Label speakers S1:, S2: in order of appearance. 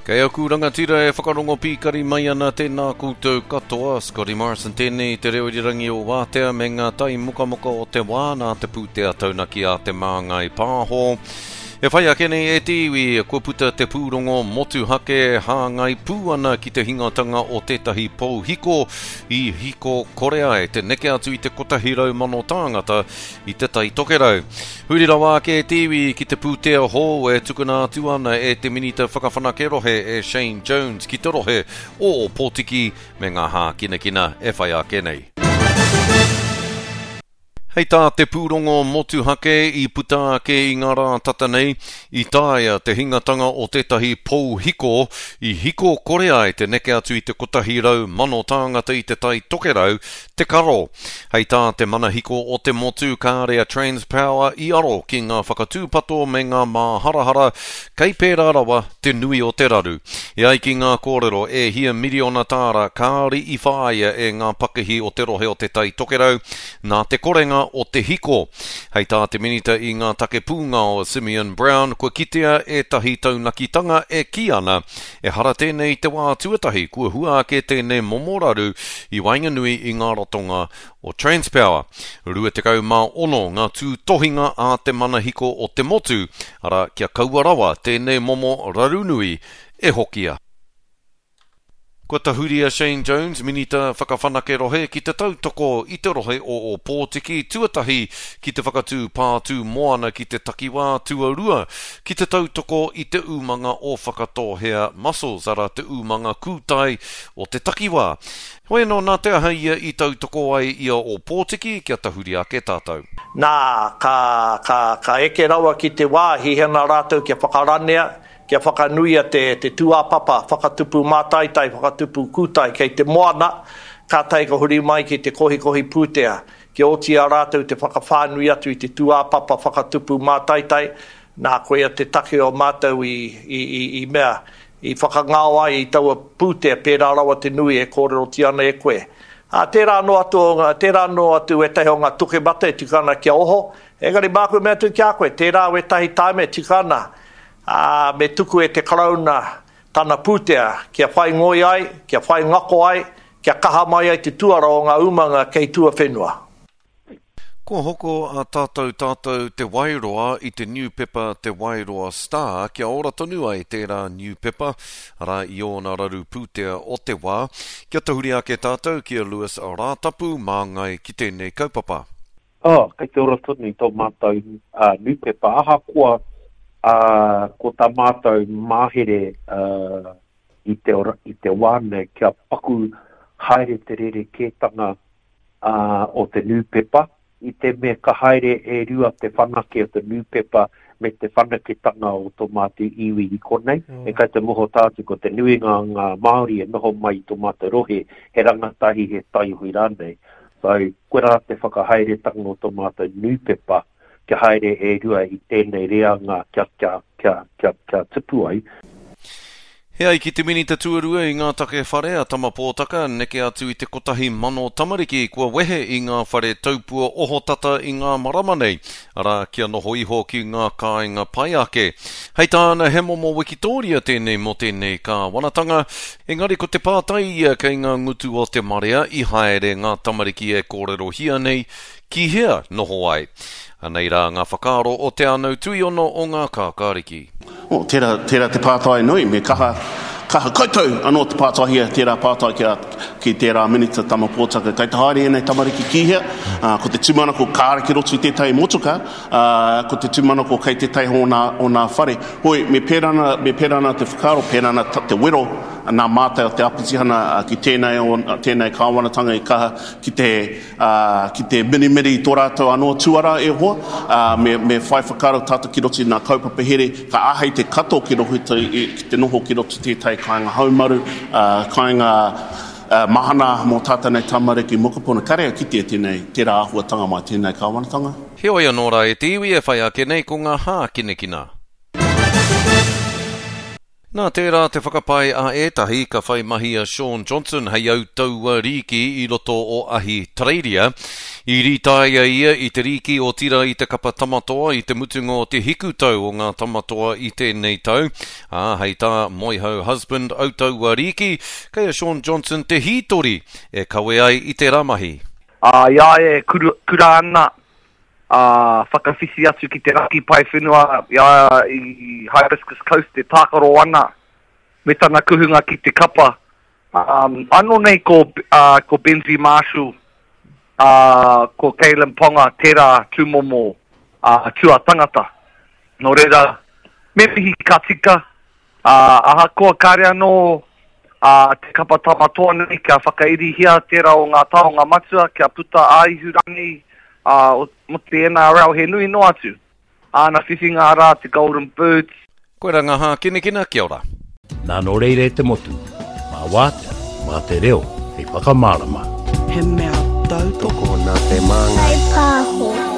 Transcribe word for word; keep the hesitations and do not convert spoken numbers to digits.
S1: Kei aku rangatira e whakarongo pīkari mai ana tēnā koutou katoa, Scotty Morrison tēnei te reo irirangi o Wātea me ngā tai mokamoka o te wā nā te pūtea taunaki a Te Māngai Pāho. E whai ake nei e te iwi, kua puta te pūrongo motuhake hāngai pū ana ki te hingatanga o tētahi pou hiko i hiko kore ai te neke atu i te kotahi rau mano tāngata i te Tai Tokerau. Huri rawa ake e te iwi ki te pūtea hou e tukuna atu ana e te Minita Whakawhanake Rohe e Shane Jones ki te rohe o Ōpōtiki me ngā hākinakina e whai ake nei. Hei tā te pūrongo motuhake i puta ake i ngā rā tata nei, i taea te hingatanga o tētahi pou hiko i hiko kore ai te neke atu i te kotahi rau mano tāngata i te Tai Tokerau te karo. Hei tā te manahiko o te motu kāre a Transpower i aro ki ngā whakatūpato me ngā māharahara kei pērā rawa te nui o te raru. E ai ki ngā kōrero e hia miriona tāra kāore i whāia e ngā pakihi o te rohe o te Tai Tokerau nā te korenga o te hiko. Hei tā te Minita i ngā take pūngao a Simeon Brown kua kitea ētahi taunakitanga e kī ana ehara tēnei i te wā tuatahi kua hua ake tēnei momo raru i waenganui i ngā ratonga o Transpower. Rua tekau mā ono ngā tūtohinga a te manahiko o te motu, arā kia kaua rawa tēnei momo raru nui e hokia. Kua tahuri a Shane Jones, Minita Whakawhanake Rohe, ki te tautoko i te rohe o Ōpōtiki, tuatahi ki te whakatū pātū moana ki te takiwā, tuarua ki te tautoko i te umanga o Whakatōhea Mussels, arā te umanga kūtai o te takiwā. Hoi anō, nā te aha ia i tautoko ai i a Ōpōtiki kia tahuri ake tātou?
S2: Nā, ka, ka, ka eke rawa ki te wā, hiahia ana rātou kia whakaranea, Kia whakanuia te, te tūāpapa whakatupu mātaitai, whakatupu kūtai kei te moana, kātahi ka huri mai ki te kohikohi pūtea, kia oti i a rātou te whakawhānui atu i te tūāpapa whakatupu mātaitai, nā, koia te take o mātou i, i, i, i mea, i whakangao ai i taua pūtea pērā rawa te nui e kōrerotia ana e koe. Ā, tērā anō atu o ngā, tērā anō atu wētahi o ngā tukemata e tika ana kia oho, engari māku e mea atu ki a koe, tērā wētahi tāima e tika ana, ā, me tuku e te Karauna tana pūtea kia whai ngoi ai, kia whai ngako ai, kia kaha mai ai te tuara o ngā umanga kei tuawhenua.
S1: Kua hoko a Tātou Tātou Te Wairoa i te niupepa Te Wairoa Star kia ora tonu ai tērā niupepa, arā i ōna raru pūtea o te wā. Kia tahuri ake tātou ki a Lewis Rātapu māngai ki tēnei kaupapa.
S3: Oh, kei te ora tonu i tō mātou uh, nūpepa. Ahakoa uh, ko tā mātou mahere uh, i, te ora, i te wā nei kia paku haere te rerekētanga uh, o te nūpepa, i te mea ka haere e rua te whanake o te nūpepa me te whanaketanga o tō mātou iwi i konei. Mm. E kai te moho tātou ko te nuinga o ngā Māori e noho mai i tō mātou rohe, he rangatahi, he taiohi rānei. So, koirā te whakahaeretanga o tō mātou nūpepa, kia haere e rua i tēnei reanga kia, kia, kia, kia, kia tupu ai.
S1: He ai ki te Minita Tuarua i ngā take whare a Tama Pōtaka, neke atu i te kotahi mano tamariki kua wehe i ngā whare taupua ohotata i ngā marama nei, arā, kia noho iho ki ngā kāinga pai ake. Hei tāna, he momo wikitōria tēnei mō tēnei kāwanatanga, engari ko te pātai ia kei ngā ngutu o te marea i haere ngā tamariki e kōrerohia nei ki hea noho ai. Anei rā ngā whakaaro o Te Anau Tuiono o Ngā Kākāriki.
S4: Oh, tērā, tērā te pātai nui, me kaha, kaha koutou anō te pātaihia tērā pātai ki a, ki tērā Minita Tama Pōtaka. Kei te haere ēnei tamariki ki hea? Ā, ko te tūmanako kāre ki roto i tētahi motuka, ā, ko te tūmanako kei tētahi o nā, o nā whare. Hoi, me pērā ana, me pērā ana te whakaaro, pērā ana te wero nā mātou o te Apitihana ki tēnei, o, tēnei kāwanatanga i kaha ki te, ā, ki te mirimiri i tō rātou anō tuara e hoa, ā, me, me whai whakaaro tātou ki roto i ngā kaupapa here, ka āhei te kato ki roto i, ki te noho ki roto tētahi kāinga haumaru, ā, kāinga, ā, mahana mō tātou nei tamariki mokopuna. Kāre au kitea tēnei, tērā āhuatanga mai tēnei kāwanatanga.
S1: Heoi anō rā e te iwi e whai ake nei ko ngā hākinakina. Nā tērā te whakapae a ētahi ka whai mahi a Shaun Johnson hei autaua rīki i roto o Ahitereiria. I rītaia ia i te rīki o tira i te kapa tamatoa i te mutunga o te hikutau o ngā tamatoa i tēnei tau. Ā, hei tā Moehau Husband autaua rīki, kei a Shaun Johnson te hītori e kawe ai i tērā mahi.
S5: Ā, i a ia e kura ana, ā, whakawhiti atu ki te raki pae whenua i a ia i Hibiscus Coast e tākaro ana me tana kuhunga ki te kapa. Um, anō nei ko, uh, ko Benji Marshall, uh, ko Kalyn Ponga tērā tūmomo uh, tuatangata. Nō reira, me mihi ka tika, uh, ahakoa kāre anō uh, te kapa tamatoa nei kia whakairihia tērā o ngā taonga matua kia puta ā-ihurangi uh, mō te N R L he nui noa atu. Āna whiwhinga arā te Golden Boots.
S1: Koe rā ngā hākinakina, kia ora.
S6: Nā nō reira e te motu, mā wātea, mā te reo, hei whakamārama.
S7: He mea tautoko.
S8: Tokona te māngai.
S9: Kai pāho.